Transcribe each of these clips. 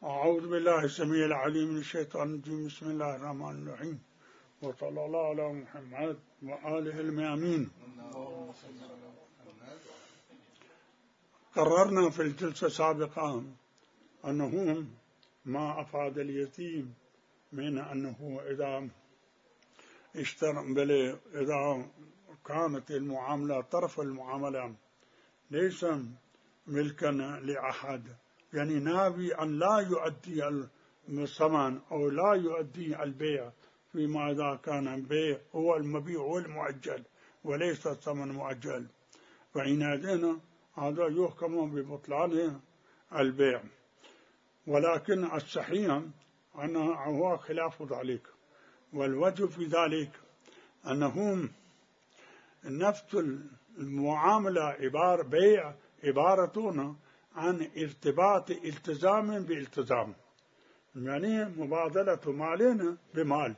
أعوذ بالله السميع العليم من الشيطان الرجيم. بسم الله الرحمن الرحيم، وصلى الله على محمد وآله الميامين. قررنا في الجلسة السابقة أنه ما أفاد اليتيم من أنه إذا إذا كانت المعاملة طرف المعاملة ليس ملكا لأحد، يعني ناوي أن لا يؤدي الثمن أو لا يؤدي البيع، فيما إذا كان البيع هو المبيع والمؤجل وليس الثمن مؤجل، فحينئذ هذا يحكم ببطلان البيع. ولكن الصحيح أنه هو خلاف ذلك، والوجه في ذلك أنه نفس المعاملة بيع عبارة عن ارتباط التزام بالتزام، يعني مبادلة مال بمال،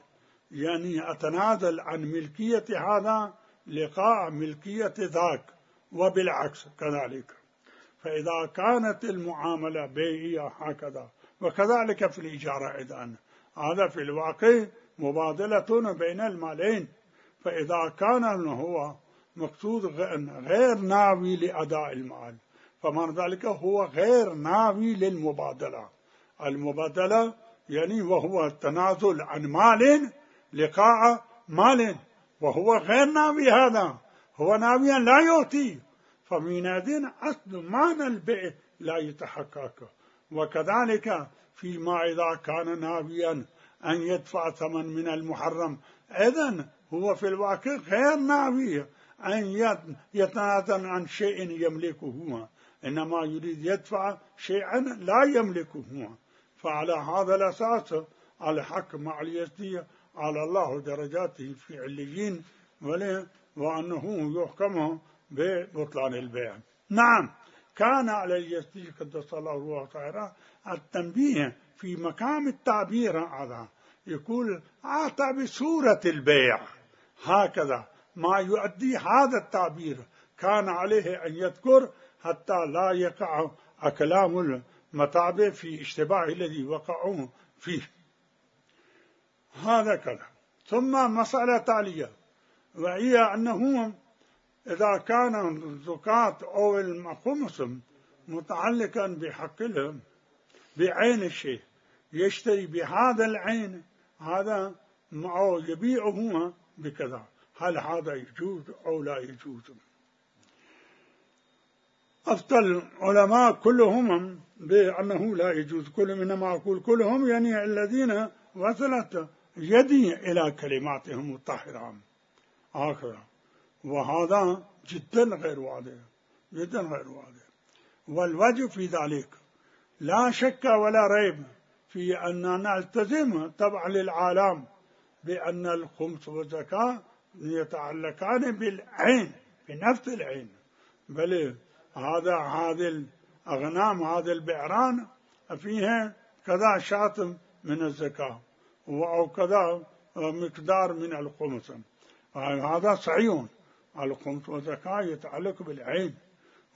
يعني أتنازل عن ملكية هذا لقاء ملكية ذاك، وبالعكس كذلك. فإذا كانت المعاملة بيعية هكذا، وكذلك في الإجارة إذن هذا في الواقع مبادلة بين المالين. فإذا كان هو مقصود غير ناوي لأداء المال، فمن ذلك هو غير ناوي للمبادلة. المبادلة يعني وهو التنازل عن مال لقاء مال، وهو غير ناوي هذا، هو ناويا لا يعطي، فمنادين أصل معنى البيع لا يتحقق. وكذلك فيما إذا كان ناويا أن يدفع ثمن من المحرم، إذن هو في الواقع غير ناوي أن يتنازل عن شيء يملكه، إنما يريد يدفع شيئا لا يملكه. فعلى هذا الأساس الحق مع اليزيدية على الله درجاته في عليين، وأنه يحكم ببطلان البيع. نعم، كان على اليزيدي قدس الله روحه طاهرة التنبيه في مقام التعبير هذا، يقول أعطى بصورة البيع، هكذا ما يؤدي هذا التعبير كان عليه أن يذكر حتى لا يقع كلام المتابع في اشتباه الذي وقعوا فيه. هذا كذا. ثم مسألة تالية، وهي أنه إذا كان الزكاة أو الخمس متعلقا بحق بعين الشيء، يشتري بهذا العين هذا أو يبيعه بكذا، هل هذا يجوز أو لا يجوز؟ أفتى العلماء كلهم بأنه لا يجوز. كلهم، إنما أقول كلهم يعني الذين وصلت يدي إلى كلماتهم الطاهرة آخرة، وهذا جدا غير واضح، جدا غير واضح. والوجه في ذلك لا شك ولا ريب في أننا نلتزم تبع للعالم بأن الخمس والزكاة يتعلقان بالعين، بنفس العين، بل هذه الأغنام، هذه البعران فيها كذا شاة من الزكاة أو كذا مقدار من الخمس، هذا صحيح. الخمس والزكاة يتعلق بالعين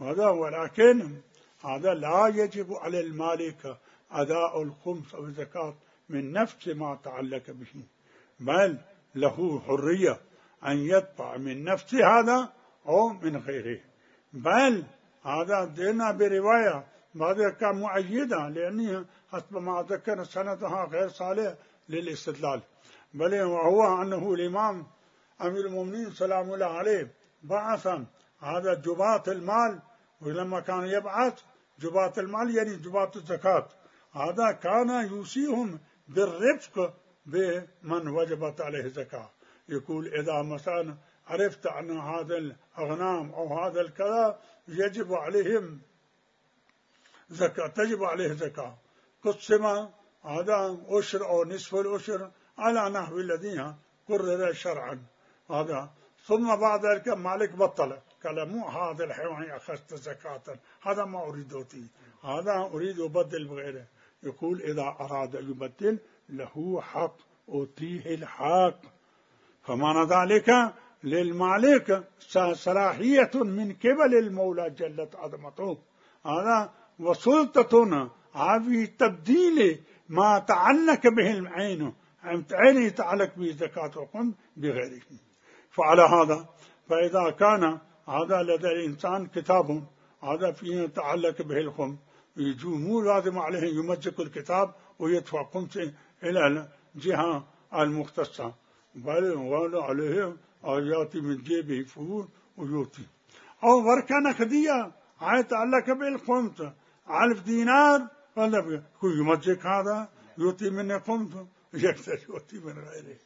هذا، ولكن هذا لا يجب على المالك أداء الخمس أو الزكاة من نفس ما تعلق به، بل له حرية أن يدفع من نفس هذا أو من غيره. بل هذا دينا برواية هذا كان مؤيدا، لأنه حسب ما ذكر سندها غير صالح للاستدلال، بل وهو أنه الإمام أمير المؤمنين سلام الله عليه بعث هذا جباة المال، ولما كان يبعث جباة المال يعني جباة الزكاة، هذا كان يوصيهم بالرفق بمن وجبت عليه الزكاة. يقول إذا مثلا عرفت أن هذا الأغنام أو هذا الكذا يجب عليهم زكاة، تجب عليه زكاة، قسم هذا أشر أو نصف الأشر على نحو الذين قرر شرعا هذا. ثم بعد ذلك مالك بطل، قال مو هذا الحيوان أخذت زكاة، هذا ما أريد أوتي، هذا أريد أبدل بغيره. يقول إذا أراد يبدل له حق أوتيه الحق، فمعنى ذلك للمالك صلاحية من قبل المولى جلت عظمته هذا، وسلطة في تبديل ما تعلق به العين، عين يتعلق به زكاة الخمس بغيره. فعلى هذا فإذا كان هذا لدى الإنسان كتاب هذا فيه يتعلق به الخمس، مو لازم عليه يمزق الكتاب ويدفع خمسه إلى الجهة المختصة، بل عليه يأتي من جيبه فلوس ويؤتي. أو بركة نقدية يتعلق بالخمس 1000 دينار، ولا يمزق هذا يؤتي منه خمسه، يقدر يؤتي من غيره.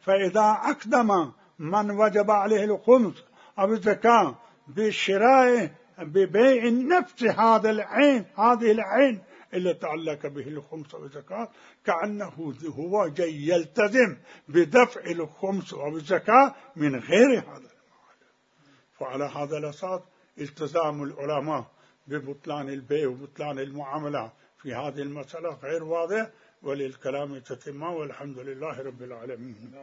فإذا أقدم من وجب عليه الخمس أو الزكاة بالشراء ببيع نفس هذا العين، هذه العين اللي تعلق به الخمس أو الزكاة، كأنه هو جاي يلتزم بدفع الخمس أو الزكاة من غير هذا المال. فعلى هذا الأساس التزام العلماء ببطلان البيع وبطلان المعاملة في هذه المسألة غير واضح، وللكلام تتمة، والحمد لله رب العالمين.